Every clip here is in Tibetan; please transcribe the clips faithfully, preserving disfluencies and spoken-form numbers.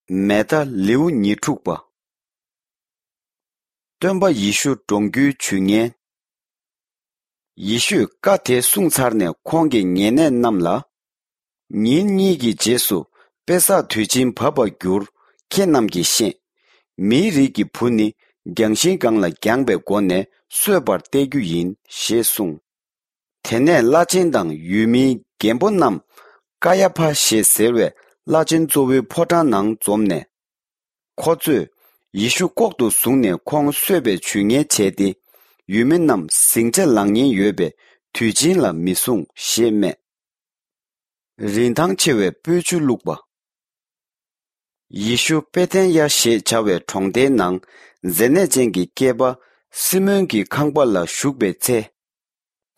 མེ་ད་ལེའུ་ཉེར་དྲུག་པ། སྟོན་པ་ཡེ་ཤུ་འགྲོངས་རྒྱུའི་ཇུས་ངན། ཡེ་ཤུས་བཀའ་དེ་གསུངས་ཚར་ནས་ཁོང་གིས་ཉེ་གནས་རྣམས་ལ། ཉིན་གཉིས་ཀྱི་རྗེས་སུ་པེ་སག་དུས་ཆེན་བབས་པར་འགྱུར། ཁྱེད་རྣམས་ཀྱིས་ཤེས། མིའི་རིགས་ཀྱི་བུ་ནི་རྒྱང་ཤིང་སྒང་ལ་བརྒྱངས་པའི་སྒོ་ནས་གསོད་པར་གཏད་རྒྱུ་ཡིན་ཞེས་གསུངས། དེ་ནས་བླ་ཆེན་དང་ཡུལ་མིའི་རྒན་པོ་རྣམས་ཀ་ཡ་ཕ་ཞེས་ཟེར་བའི་བླ་ཆེན་གཙོ་བོའི་ཕོ་བྲང་ནང་འཛོམས་ནས། ཁོ་ཚོས་ཡེ་ཤུ་ལྐོག་ཏུ་བཟུང་ནས་ཁོང་གསོད་པའི་ཇུས་ངན་བྱས་ཏེ། ཡུལ་མི་རྣམས་ཟིང་ཆ་ལངས་ཉེན་ཡོད་པའི་དུས་ཆེན་ལ་མི་བཟུང་ཞེས་སྨྲས། རིན་ཐང་ཆེ་བའི་སྤོས་ཆུ་བླུགས་པ། ཡེ་ཤུ་པེ་ཐན་ཡ་ཞེས་བྱ་བའི་གྲོང་སྡེའི་ནང་མཛེ་ནད་ཅན་གྱི་སྐྱེས་པ་སི་མོན་གྱི་ཁང་པ་ལ་བཞུགས་པའི་ཚེ།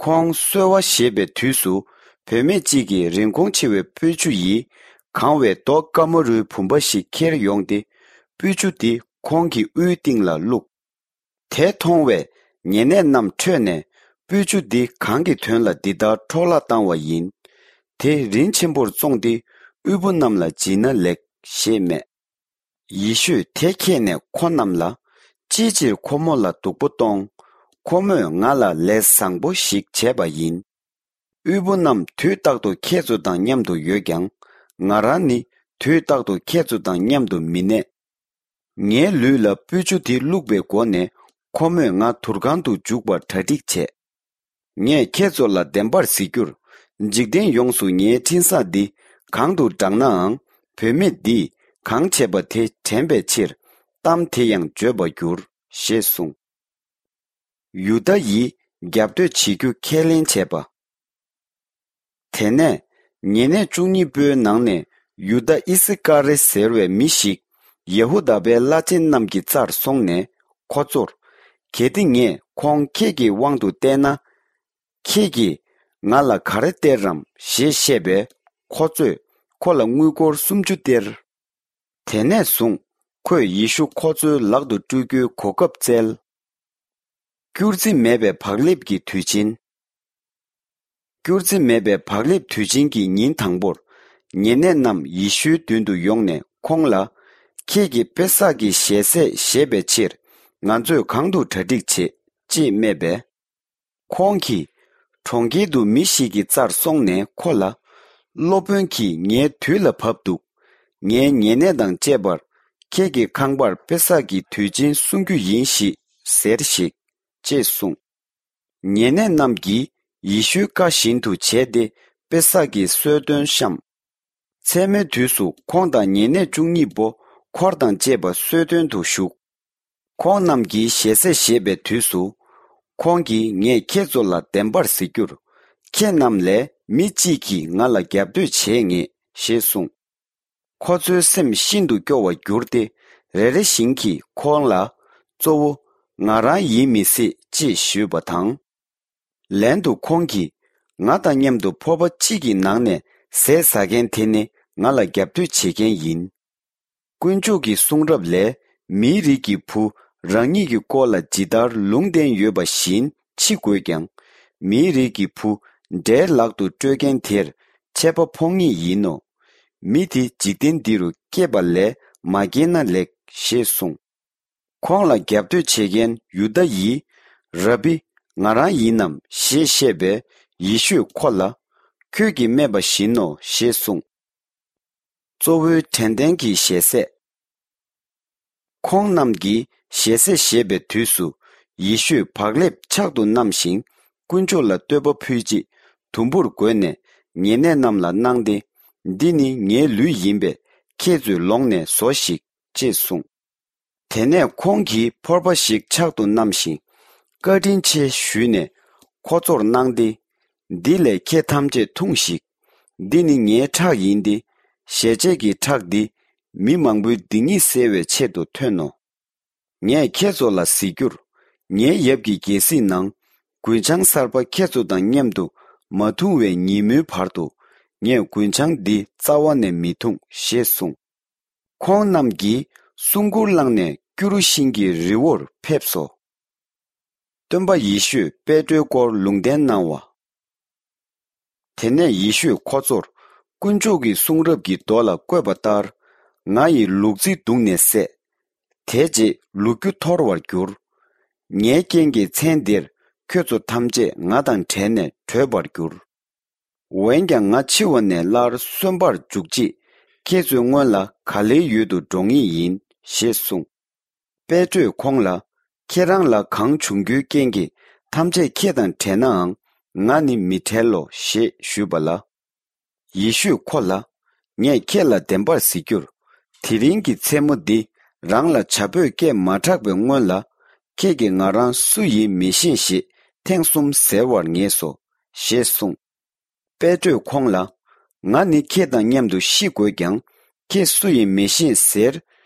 ཁོང་གསོལ་བ་བཞེས་པའི་དུས་སུ། བུད་མེད་ཅིག་གིས་རིན་གོང་ཆེ་བའི་སྤོས་ཆུ་ཡིས་གང་བའི་རྡོ་དཀར་མོ་རུའི་བུམ་པ་ཞིག་ཁྱེར་ཡོང་སྟེ། སྤོས་ཆུ་དེ་ཁོང་གི་དབུའི་སྟེང་ལ་བླུགས། དེ་མཐོང་བས་ཉེ་གནས་རྣམས་ཁྲོས་ནས། སྤོས་ཆུ་འདི་གང་གི་དོན་ལ་འདི་ལྟར་འཕྲོ་བརླག་བཏང་བ་ཡིན། དེ་རིན་ཆེན་པོར་བཙོངས་ཏེ། དབུལ་པོ་རྣམས་ལ་བྱིན་ན་ལེགས་ཞེས་སྨྲས། ཡེ་ཤུས་དེ་མཁྱེན་ནས་ཁོ་རྣམས་ལ། ཅིའི་ཕྱིར་ཁོ་མོ་ལ་སྡུག་པོ་གཏོང་། ཁོ་མོས་ང་ལ་ལས་བཟང་པོ་ཞིག་བྱས་པ་ཡིན། དབུལ་པོ་རྣམས་དུས་རྟག་ཏུ་ཁྱེད་ཚོ་དང་མཉམ་དུ་ཡོད་ཀྱང་། ང་རང་ནི་དུས་རྟག་ཏུ་ཁྱེད་ཚོ་དང་མཉམ་དུ་མི་གནས། ངའི་ལུས་ལ་སྤོས་ཆུ་དེ་བླུགས་པའི་སྒོ་ནས། ཁོ་མོས་ང་དུར་ཁང་དུ་འཇུག་པར་གྲ་སྒྲིག་བྱས། ངས་ཁྱེད་ཚོ་ལ་བདེན་པར་ཟེར་རྒྱུར། འཇིག་རྟེན་ཡོངས་སུ་ངའི་འཕྲིན་བཟང་འདི་གང་དུ་བསྒྲགས་ནའང་། བུད་མེད་འདིས་གང་བྱས་པ་དེ་དྲན་པའི་ཕྱིར། གཏམ་དེ་ཡང་བརྗོད་པར་འགྱུར་ཞེས་གསུངས། ཡུ་དཱ་ཡིས་རྒྱབ་གཏོད་བྱེད་རྒྱུ་ཁས་ལེན་བྱས་པ། དེ་ནས་ཉེ་གནས་བཅུ་གཉིས་པོའི་ནང་ནས་ཡུ་དཱ་ཨི་སི་ཀ་རེ་ཟེར་བའི་མི་ཞིག་ཡེ་ཧུ་དཱ་པའི་བླ་ཆེན་རྣམས་ཀྱི་རྩར་སོང་ནས་ཁོ་ཚོར། གལ་ཏེ་ངས་ཁོང་ཁྱེད་ཀྱི་དབང་དུ་གཏད་ན། ཁྱེད་ཀྱིས་ང་ལ་ག་རེ་སྟེར་རམ་ཞེས་བཤད་པས། ཁོ་ཚོས་ཁོ་ལ་དངུལ་སྒོར་སུམ་ཅུ་སྟེར། དེ་ནས་བཟུང་ཁོས་ཡེ་ཤུ་ཁོ་ཚོའི་ལག་ཏུ་སྤྲོད་རྒྱུའི་གོ་སྐབས་བཙལ། སྐྱུར་རྩི་མེད་པའི་བག་ལེབ་ཀྱི་དུས་ཆེན། སྐྱུར་རྩི་མེད་པའི་བག་ལེབ་དུས་ཆེན་གྱི་ཉིན་དང་པོར། ཉེ་གནས་རྣམས་ཡེ་ཤུའི་མདུན་དུ་ཡོང་ནས་ཁོང་ལ། ཁྱེད་ཀྱིས་པེ་སག་གི་ཞལ་ཟས་བཞེས་པའི་ཕྱིར། ང་ཚོས་གང་དུ་གྲ་སྒྲིག་བྱེད་ཅེས་སྨྲས་པས། ཁོང་གིས། གྲོང་ཁྱེར་དུ་མི་ཞིག་གི་རྩར་སོང་ནས་ཁོ་ལ། སློབ་དཔོན་གྱིས་ངའི་དུས་ལ་བབ་འདུག་ངའི་ཉེ་གནས་དང་བཅས་པར། ཁྱེད་ཀྱི་ཁང་པར་པེ་སག་གི་དུས་ཆེན་སྲུང་རྒྱུ་ཡིན་ཞེས་ཟེར་ཞིག་ཅེས་གསུངས། ཉེ་གནས་རྣམས་ཀྱིས་ཡེ་ཤུའི་བཀའ་བཞིན་དུ་བྱས་ཏེ། པེ་སག་གི་གསོལ་སྟོན་བཤམས། མཚན་མོའི་དུས་སུ་ཁོང་དང་ཉེ་གནས་བཅུ་གཉིས་པོ་འཁོར་དང་བཅས་པ་གསོལ་སྟོན་དུ་བཞུགས། ཁོང་རྣམས་ཀྱིས་ཞལ་ཟས་བཞེས་པའི་དུས་སུ། ཁོང་གིས་ངས་ཁྱེད་ཚོ་ལ་བདེན་པར་ཟེར་རྒྱུར། ཁྱེད་རྣམས་ལས་མི་གཅིག་གིས་ང་ལ་རྒྱབ་གཏོད་བྱེད་ངེས་ཞེས་གསུངས། ཁོ་ཚོའི་སེམས་ཤིན་ཏུ་སྐྱོ་བར་གྱུར་ཏེ། རེ་རེ་བཞིན་གྱིས་ཁོང་ལ། གཙོ་བོ། ང་རང་ཡིན་མི་སྲིད་ཅེས་ཞུས་པ་དང་། ལན་དུ་ཁོང་གིས། ང་དང་མཉམ་དུ་ཕོར་པ་གཅིག་གི་ནང་ནས་ཟས་ཟ་མཁན་དེ་ནི་ང་ལ་རྒྱབ་གཏོད་བྱེད་མཁན་ཡིན། དཀོན་མཆོག་གི་གསུང་རབ་ལས། མིའི་རིགས་ཀྱི་བུ་རང་ཉིད་ཀྱི་སྐོར་ལ་ཇི་ལྟར་ལུང་བསྟན་ཡོད་པ་བཞིན་འཆི་དགོས་ཀྱང་། མིའི་རིགས་ཀྱི་བུ་དགྲའི་ལག་ཏུ་སྤྲོད་མཁན་དེར་ཆད་པ་ཕོག་ངེས་ཡིན་ནོ། མི་དེ་འཇིག་རྟེན་འདི་རུ་སྐྱེས་པ་ལས་མ་སྐྱེས་ན་ལེགས་ཞེས་གསུངས། ཁོང་ལ་རྒྱབ་གཏོད་བྱེད་མཁན་ཡུ་དཱ་ཡིས། རབ་བི། ང་རང་ཡིན་ནམ་ཞེས་བཤད་པས། ཡེ་ཤུས་ཁོ་ལ། ཁྱོད་ཀྱིས་སྨྲས་པ་བཞིན་ནོ་ཞེས་གསུངས། གཙོ་བོའི་དྲན་རྟེན་གྱི་ཞལ་ཟས། ཁོང་རྣམས་ཀྱིས་ཞལ་ཟས་བཞེས་པའི་དུས་སུ། ཡེ་ཤུས་བག་ལེབ་ཕྱག་ཏུ་བསྣམས་ཤིང་། དཀོན་མཆོག་ལ་བསྟོད་པ་ཕུལ་རྗེས། དུམ་བུར་བགོས་ནས་ཉེ་གནས་རྣམས་ལ་གནང་སྟེ། འདི་ནི་ངའི་ལུས་ཡིན་པས། ཁྱེད་ཚོས་ལོངས་ནས་ཟོ་ཞིག་ཅེས་གསུངས། དེ་ནས་ཁོང་གིས་ཕོར་པ་ཞིག་ཕྱག་ཏུ་བསྣམས་ཤིང་། བཀའ་དྲིན་ཆེ་ཞུས་ནས་ཁོ་ཚོར་གནང་སྟེ། འདི་ལས་ཁྱེད་ཐམས་ཅད་འཐུང་ཞིག་འདི་ནི་ངའི་ཁྲག་ཡིན་ཏེ། ཞལ་ཆད་ཀྱི་ཁྲག་འདི་མི་མང་པོའི་སྡིག་ཉེས་སེལ་བའི་ཆེད་དུ་ཐོན་ནོ། ངས་ཁྱེད་ཚོ་ལ་ཟེར་རྒྱུར། ངའི་ཡབ་ཀྱི་རྒྱལ་སྲིད་ནང་། རྒུན་ཆང་གསར་པ་ཁྱེད་ཚོ་དང་མཉམ་དུ་མ་འཐུང་བའི་ཉིན་མོའི་བར་དུ། ངས་རྒུན་ཆང་འདི་རྩ་བ་ནས་མི་འཐུང་ཞེས་གསུངས། ཁོང་རྣམས་ཀྱིས་སྲུང་གུར་བླངས་ནས་སྐྱུ་རུ་ཤིང་གི་རི་བོར་ཕེབས་སོ། སྟོན་པ་ཡེ་ཤུས་པེ་ཏྲོའི་སྐོར་ལུང་བསྟན་གནང་བ། དེ་ནས་ཡེ་ཤུས་ཁོ་ཚོར་དཀོན་མཆོག་གི་གསུང་རབ་ཀྱི་མདོ་ལ་བཀོད་པ་ལྟར། ང་ཡི་ལུག་རྫི་བརྡུངས་ནས་བསད། དེ་རྗེས་ལུ་གུ་འཐོར་བར་འགྱུར། ངའི་རྐྱེན་གྱིས་མཚན་འདིར་ཁྱོད་ཚོ་ཐམས་ཅད་ང་དང་བྲལ་ནས་བྲོས་པར་འགྱུར། འོན་ཀྱང་ང་འཆི་བ་ནས་སླར་གསོན་པར་འཇུག་ཅིག། ཁྱེད་ཚོའི་སྔོན་ལ་ག་ལེའི་ཡུལ་དུ་འགྲོ་ངེས་ཡིན་ཞེས་གསུངས། པེ་ཏྲོས་ཁོང་ལ། ཁྱེད་རང་ལ་གང་བྱུང་རྒྱུའི་རྐྱེན་གྱིས་ཐམས་ཅད་ཁྱེད་དང་བྲལ་ནའང་ང་ནི་མི་བྲལ་ལོ་ཞེས་ཞུས་པ་ལ། ཡེ་ཤུས་ཁོ་ལ། ངས་ཁྱེད་ལ་བདེན་པར་ཟེར་རྒྱུར། དེ་རིང་གི་མཚན་མོ་འདི་རང་ལ་བྱ་ཕོས་སྐད་མ་གྲགས་པའི་སྔོན་ལ། ཁྱེད་ཀྱིས་ང་རང་སུ་ཡིན་མི་ཤེས་ཞེས་ཐེངས་གསུམ་ཟེར་བར་ངེས་སོ། ཞེས་གསུངས། པེ་ཏྲོས་ཁོང་ལ། ང་ནི་ཁྱེད་དང་མཉམ་དུ་ཤི་དགོས་ཀྱང་། ཁྱེད་སུ་ཡིན་མི་ཤེས་ཟེར་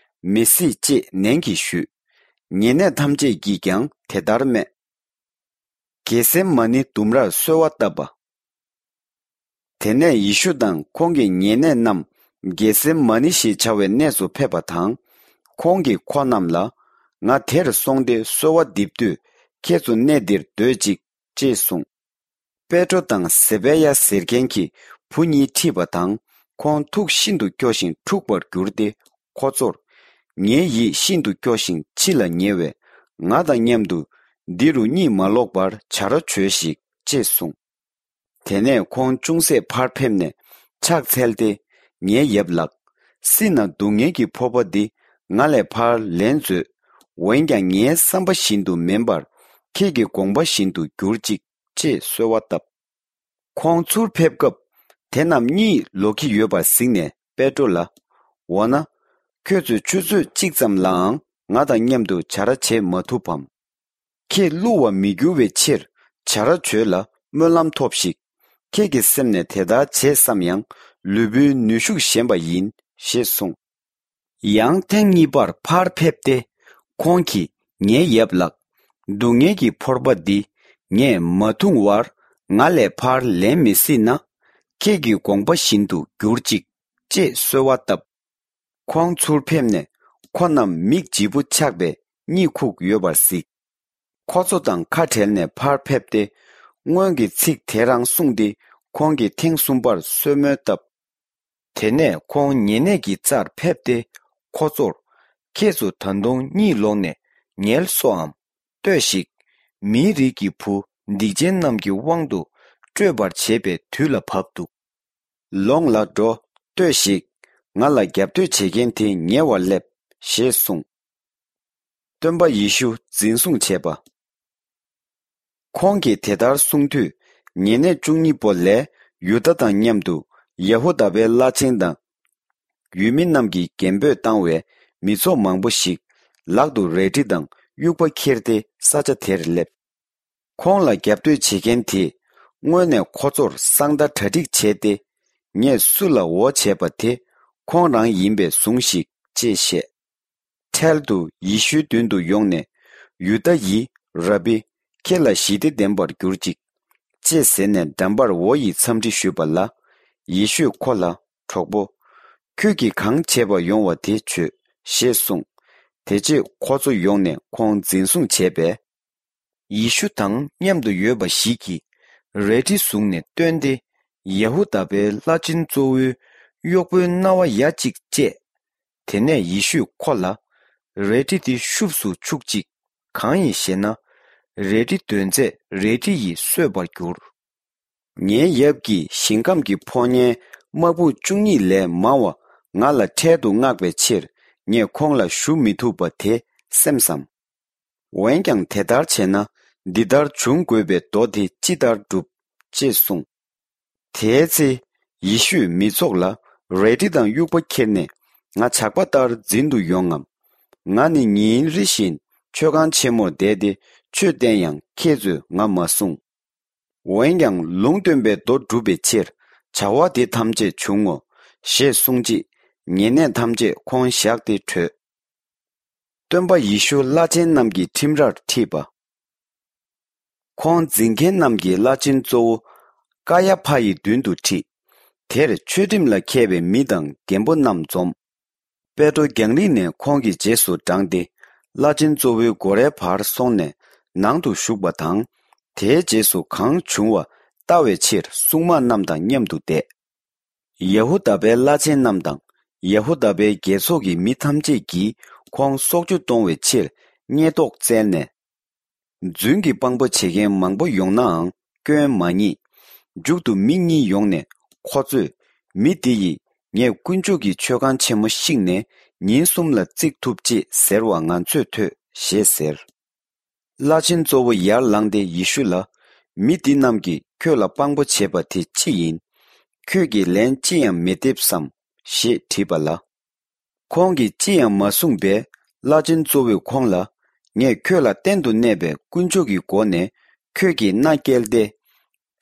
མི་སྲིད་ཅེས་ནན་གྱིས་ཞུས། ཉེ་གནས་ཐམས་ཅད་ཀྱིས་ཀྱང་དེ་ལྟར་སྨྲས། གེ་སེ་མ་ནི་ལྡུམ་རར་གསོལ་བ་བཏབ་པ། དེ་ནས་ཡེ་ཤུ་དང་ཁོང་གི་ཉེ་གནས་རྣམས་གེ་སེ་མ་ནི་ཞེས་བྱ་བའི་གནས་སུ་ཕེབས་པ་དང་། ཁོང་གིས་ཁོ་རྣམས་ལ། ང་དེར་སོང་སྟེ་གསོལ་བ་འདེབས་དུས་ཁྱེད་ཚོ་གནས་འདིར་སྡོད་ཅིག། ཅེས་གསུངས། པེ་ཏྲོ་དང་ཟེ་པེ་ཡ་ཟེར་མཁན་གྱི་བུ་གཉིས་ཁྲིད་པ་དང་། ཁོང་ཐུགས་ཤིན་ཏུ་སྐྱོ་ཞིང་འཁྲུགས་པར་གྱུར་ཏེ། ཁོ་ཚོར། ངའི་ཡིད་ཤིན་ཏུ་སྐྱོ་ཞིང་འཆི་ལ་ཉེ་བས། ང་དང་མཉམ་དུ་འདི་རུ་གཉིད་མ་ལོག་པར་བྱ་ར་བྱོས་ཤིག། ཅེས་གསུངས། དེ་ནས་ཁོང་ཅུང་ཟད་ཕར་ཕེབས་ནས་ཕྱག་འཚལ་ཏེ། ངའི་ཡབ་ལགས། སྲིད་ན་སྡུག་བསྔལ་གྱི་ཕོར་པ་འདི་ང་ལས་ཕར་ལེན་མཛོད། འོན་ཀྱང་ངའི་བསམ་པ་བཞིན་དུ་མིན་པར་ཁྱེད་ཀྱི་དགོངས་པ་བཞིན་དུ་གྱུར་ཅིག། ཅེས་གསོལ་བ་བཏབ། ཁོང་ཚུར་ཕེབས་སྐབས་དེ་རྣམས་གཉིད་ལོག་གི་ཡོད་པར་གཟིགས་ནས་པེ་ཏྲོ་ལ། འོ་ན། ཁྱོད་ཚོས་ཆུ་ཚོད་གཅིག་ཙམ་ལའང་ང་དང་མཉམ་དུ་བྱ་ར་བྱེད་མ་ཐུབ་བམ། ཁྱེད་བསླུ་བར་མི་འགྱུར་བའི་ཕྱིར་བྱ་ར་བྱོས་ལ་སྨོན་ལམ་ཐོབས་ཤིག། ཁྱེད་ཀྱི་སེམས་ནས་དེ་ལྟར་བྱེད་བསམ་ཡང་ལུས་པོའི་ནུས་ཤུགས་ཞན་པ་ཡིན། ཞེས་གསུངས། ཡང་ཐེངས་གཉིས་པར་ཕར་ཕེབས་ཏེ། ཁོང་གིས་ངའི་ཡབ་ལགས། སྡུག་བསྔལ་གྱི་ཕོར་པ་འདི་ངས་མ་འཐུང་བར་ང་ལས་ཕར་ལེན་མི་སྲིད་ན། ཁྱེད་ཀྱི་དགོངས་པ་བཞིན་དུ་གྱུར་ཅིག། ཅེས་གསོལ་བ་བཏབ། ཁོང་ཚུར་ཕེབས་ནས་ཁོ་རྣམས་མིག་ལྗིད་པོ་ཆགས་པས་གཉིད་ཁུག་ཡོད་པར་གཟིགས། ཁོ་ཚོ་དང་ཁ་བྲལ་ནས་ཕར་ཕེབས་ཏེ། སྔོན་གྱི་ཚིག་དེ་རང་གསུངས་ཏེ། ཁོང་གིས་ཐེངས་གསུམ་པར་གསོལ་སྨོན་བཏབ། དེ་ནས་ཁོང་ཉེ་གནས་ཀྱི་རྩར་ཕེབས་ཏེ། ཁོ་ཚོར། ཁྱེད་ཚོ་ད་དུང་གཉིད་ལོག་ནས་ངལ་གསོའམ། ལྟོས་ཤིག། མིའི་རིགས་ཀྱི་བུ་སྡིག་ཅན་རྣམས་ཀྱི་དབང་དུ་སྤྲོད་པར་བྱེད་པའི་དུས་ལ་བབ་འདུག། ལོངས་ལ་འགྲོ། ལྟོས་ཤིག། ང་ལ་རྒྱབ་གཏོད་བྱེད་མཁན་དེ་ཉེ་བར་སླེབས། ཞེས་གསུངས། སྟོན་པ་ཡེ་ཤུ་འཛིན་བཟུང་བྱས་པ། ཁོང་གིས་དེ་ལྟར་གསུངས་དུས། ཉེ་གནས་བཅུ་གཉིས་པོ་ལས་ཡུ་དཱ་དང་མཉམ་དུ་ཡ་ཧུ་དཱ་པའི་བླ་ཆེན་དང་། ཡུལ་མི་རྣམས་ཀྱིས་རྒན་པོས་བཏང་བའི་མི་ཚོགས་མང་པོ་ཞིག་ལག་ཏུ་རལ་གྲི་དང་དབྱུག་པ་འཁྱེར་ཏེ་ས་ཆ་དེར་སླེབས། ཁོང་ལ་རྒྱབ་གཏོད་བྱེད་མཁན་དེས་སྔོན་ནས་ཁོ་ཚོར་གསང་བརྡ་གྲ་སྒྲིག་བྱས་ཏེ། ངས་སུ་ལ་འོ་བྱས་པ་དེ་ཁོང་རང་ཡིན་པས་ཟུངས་ཤིག། ཅེས་བཤད། འཕྲལ་དུ་ཡེ་ཤུའི་མདུན་དུ་ཡོང་ནས། ཡུ་དཱ་ཡིས། ར་བི། ཁྱེད་ལ་ཞི་བདེ་ལྡན་པར་གྱུར་ཅིག། ཅེས་ཟེར་ནས་འགྲམ་པར་འོ་ཡི་འཚམས་འདྲི་ཞུས་པ་ལ། ཡེ་ཤུས་ཁོ་ལ། གྲོགས་པོ། ཁྱོད་ཀྱིས་གང་བྱས་པ་ཡོང་བ་དེ་བྱོས། ཞེས་གསུངས། དེ་རྗེས་ཁོ་ཚོ་ཡོང་ནས་ཁོང་འཛིན་བཟུང་བྱས་པས། ཡེ་ཤུ་དང་མཉམ་དུ་ཡོད་པ་ཞིག་གིས་རལ་གྲི་བཟུང་ནས་བཏོན་ཏེ། ཡ་ཧུ་དཱ་པའི་བླ་ཆེན་གཙོ་བོའི་གཡོག་པོའི་རྣ་བ་ཡ་གཅིག་བཅད། དེ་ནས་ཡེ་ཤུས་ཁོ་ལ། རལ་གྲི་འདི་ཤུབས་སུ་འཆུག་ཅིག། གང་ཡིན་ཞེ་ན། རལ་གྲི་འདོན་ཚད་རལ་གྲི་ཡིས་གསོད་པར་འགྱུར། ངའི་ཡབ་ཀྱིས་ཞིང་ཁམས་ཀྱི་ཕོ་ཉའི་དམག་དཔུང་བཅུ་གཉིས་ལས་མང་བ་ང་ལ་འཕྲལ་དུ་མངགས་པའི་ཕྱིར། ངས་ཁོང་ལ་ཞུ་མི་ཐུབ་པ་དེ་སེམས་སམ། འོན་ཀྱང་དེ་ལྟར་བྱས་ན། འདི་ལྟར་འབྱུང་དགོས་པའི་མདོ་དེ་ཅི་ལྟར་འགྲུབ། ཅེས་གསུངས། དེའི་ཚེ། ཡེ་ཤུས་མི་ཚོགས་ལ། རལ་གྲི་དང་དབྱུག་པ་ཁྱེར་ནས། ང་ཇག་པ་ལྟར་འཛིན་དུ་ཡོང་ངམ། ང་ནི་ཉིན་རེ་བཞིན་མཆོད་ཁང་ཆེན་མོར་བསྡད་དེ་ཆོས་བསྟན་ཡང་ཁྱེད་ཚོས་ང་མ་བསྲུང་། འོན་ཀྱང་ལུང་སྟོན་པའི་མདོ་འགྲུབ་པའི་ཕྱིར་བྱ་བ་འདི་ཐམས་ཅད་འབྱུང་ངོ་། ཞེས་གསུངས་རྗེས་ཉེ་གནས་ཐམས་ཅད་ཁོང་བཞག་སྟེ་བྲོས། སྟོན་པ་ཡེ་ཤུ་བླ་ཆེན་རྣམས་ཀྱི་ཁྲིམས་རར་ཁྲིད་པ། ཁོང་འཛིན་མཁན་རྣམས་ཀྱི་བླ་ཆེན་གཙོ་བོ་ཀ་ཡ་ཕ་ཡི་མདུན་དུ་ཁྲིད། དེར་ཆོས་ཁྲིམས་ལ་མཁས་པའི་མི་དང་རྒན་པོ་རྣམས་འཛོམས། པེ་ཏྲོ་རྒྱང་རིང་ནས་ཁོང་གི་རྗེས་སུ་འབྲངས་ཏེ། བླ་ཆེན་གཙོ་བོའི་སྒོ་རའི་བར་སོང་ནས་ནང་དུ་ཞུགས་པ་དང་། དེའི་རྗེས་སུ་གང་བྱུང་བ་ལྟ་བའི་ཕྱིར་སྲུང་དམག་རྣམས་དང་མཉམ་དུ་བསྡད། ཡ་ཧུ་དཱ་པའི་བླ་ཆེན་རྣམས་དང་ ཡ་ཧུ་དཱ་པའི་རྒྱལ་ཚོགས་ཀྱི་མི་ཐམས་ཅད་ཀྱིས་ཁོང་སྲོག་གཅོད་གཏོང་བའི་ཕྱིར་བསྙད་ཐོག་བཙལ་ནས། རྫུན་གྱི་དཔང་པོ་བྱེད་མཁན་མང་པོ་ཡོང་ནའང་སྐྱོན་མ་རྙེད། མཇུག་ཏུ་མི་གཉིས་ཡོང་ནས་ཁོ་ཚོས། མི་འདི་ཡིས་ངས་དཀོན་མཆོག་གི་མཆོད་ཁང་ཆེན་མོ་བཤིག་ནས་ཉིན་གསུམ་ལ་བརྩིག་ཐུབ་ཅེས་ཟེར་བ་ང་ཚོས་ཐོས་ཞེས་ཟེར། བླ་ཆེན་གཙོ་བོ་ཡར་ལངས་ཏེ་ཡེ་ཤུ་ལ། མི་འདི་རྣམས་ཀྱིས་ཁྱོད་ལ་དཔང་པོ་བྱས་པ་དེ་ཅི་ཡིན། ཁྱོད་ཀྱིས་ལན་ཅི་ཡང་མི་འདེབས་སམ། ཞེས་དྲིས་པ་ལ། ཁོང་གིས་ཅི་ཡང་མ་གསུངས་པས། བླ་ཆེན་གཙོ་བོས་ཁོང་ལ། ངས་ཁྱོད་ལ་གཏན་དུ་གནས་པའི་དཀོན་མཆོག་གི་སྒོ་ནས་ཁྱོད་ཀྱིས་མནའ་བསྐྱལ་ཏེ།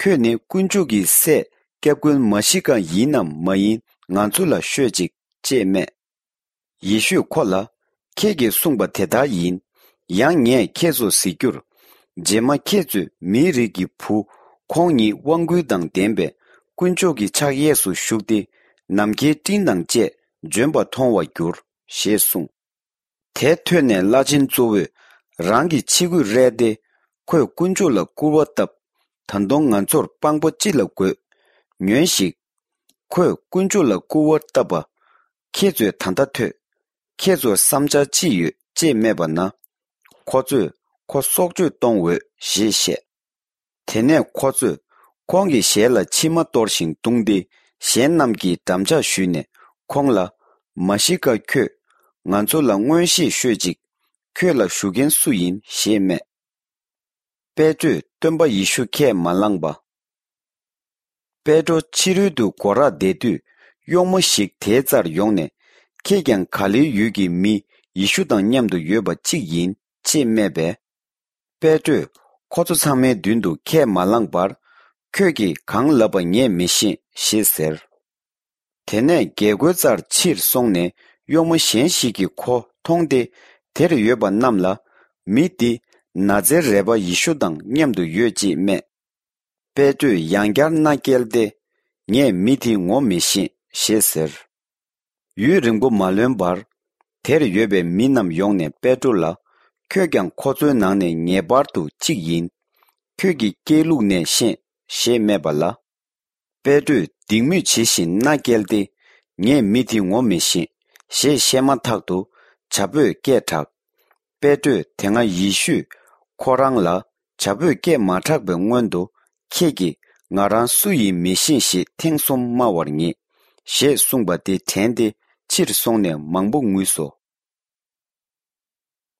ཁྱོད་ནི་དཀོན་མཆོག་གི་སྲས་སྐྱབས་མགོན་མཱ་ཤི་ཀ་ཡིན་ནམ་མ་ཡིན་ང་ཚོ་ལ་ཤོད་ཅིག་ཅེས་སྨྲས། ཡེ་ཤུས་ཁོ་ལ། ཁྱེད་ཀྱིས་གསུངས་པ་དེ་ལྟར་ཡིན། ཡང་ངས་ཁྱེད་ཚོར་ཟེར་རྒྱུར། རྗེས་མ་ཁྱེད་ཚོས་མིའི་རིགས་ཀྱི་བུ་ཁོང་ཉིད་དབང་སྐུར་དང་ལྡན་པའི་དཀོན་མཆོག་གི་ཕྱག་གཡས་སུ་བཞུགས་ཏེ། ནམ་མཁའི་སྤྲིན་དང་བཅས་འབྱོན་པ་མཐོང་བར་འགྱུར། ཞེས་གསུངས། དེ་ཐོས་ནས་བླ་ཆེན་གཙོ་བོས་རང་གི་ཕྱི་གོས་བསྲེགས་ཏེ། ཁོས་དཀོན་མཆོག་ལ་སྐུར་བ་བཏབ། ད་དུང་ང་ཚོར་དཔང་པོ་ཅི་ལ་དགོས། ཉོན་ཞིག་ཁོས་དཀོན་མཆོག་ལ་སྐུར་བ་བཏབ་པ། ཁྱེད་ཚོས་ད་ལྟ་ཐོས། ཁྱེད་ཚོར་བསམ་འཆར་ཅི་ཡོད་ཅེས་སྨྲས་པ་ན། ཁོ་ཚོས་ཁོ་སྲོག་གཅོད་གཏོང་འོས་ཞེས་བཤད། དེ་ནས་ཁོ་ཚོས་ཁོང་གི་ཞལ་ལ་མཆིལ་མ་གཏོར་ཞིང་བརྡུངས་ཏེ། གཞན་རྣམས་ཀྱིས་འགྲམ་ལྕག་གཞུས་ནས་ཁོང་ལ། མཱ་ཤི་ཀ་ཁྱོད། ང་ཚོ་ལ་མངོན་ཤེས་ཤོད་ཅིག་ཁྱོད་ལ་ཞུ་མཁན་སུ་ཡིན་ཞེས་སྨྲས། པེ་ཏྲོས་སྟོན་པ་ཡེ་ཤུ་ཁས་མ་བླངས་པ། པེ་ཏྲོ་ཕྱི་རོལ་དུ་སྒོ་རར་བསྡད་དུས། གཡོག་མོ་ཞིག་དེའི་རྩར་ཡོང་ནས། ཁྱེད་ཀྱང་ག་ལིལ་ཡུལ་གྱི་མི་ཡེ་ཤུ་དང་མཉམ་དུ་ཡོད་པ་གཅིག་ཡིན། ཅེས་སྨྲས་པས། པེ་ཏྲོས་ཁོ་ཚོ་ཚང་མའི་མདུན་དུ་ཁས་མ་བླངས་པར། ཁྱོད་ཀྱིས་གང་ལབ་པ་ངས་མི་ཤེས་ཞེས་ཟེར། དེ་ནས་རྒྱལ་སྒོའི་རྩར་ཕྱིར་སོང་ནས། གཡོག་མོ་གཞན་ཞིག་གིས་ཁོ་མཐོང་སྟེ། དེར་ཡོད་པ་རྣམས་ལ། མི་འདི་ན་ཛེ་རད་པ་ཡེ་ཤུ་དང་མཉམ་དུ་ཡོད་ཅེས་སྨྲས། པེ་ཏྲོས་ཡང་བསྐྱར་མནའ་བསྐྱལ་ཏེ། ངས་མི་དེ་ངོ་མི་ཤེས་ཞེས་ཟེར། ཡུན་རིང་པོ་མ་ལོན་པར། དེར་ཡོད་པའི་མི་རྣམས་ཡོང་ནས་པེ་ཏྲོ་ལ། ཁྱོད་ཀྱང་ཁོ་ཚོའི་ནང་ནས་ངེས་པར་དུ་གཅིག་ཡིན། ཁྱོད་ཀྱི་སྐྱེས་ལུགས་ནས་ཤེས་ཞེས་སྨྲས་པ་ལ། པེ་ཏྲོས་སྡིགས་དམོད་བྱེད་བཞིན་མནའ་བསྐྱལ་ཏེ། ངས་མི་དེ་ངོ་མི་ཤེས་ཞེས་བཤད་མ་ཐག་ཏུ་བྱ་ཕོས་སྐད་གྲགས། པེ་ཏྲོས་དེ་སྔ་ཡེ་ཤུས་ཁོ་རང་ལ་བྱ་ཕོས་སྐད་མ་གྲགས་པའི་སྔོན་དུ། ཁྱེད་ཀྱིས་ང་རང་སུ་ཡིན་མི་ཤེས་ཞེས་ཐེངས་གསུམ་སྨྲ་བར་ངེས། ཞེས་གསུངས་པ་དེ་དྲན་ཏེ་ཕྱིར་སོང་ནས་མང་པོ་ངུས་སོ།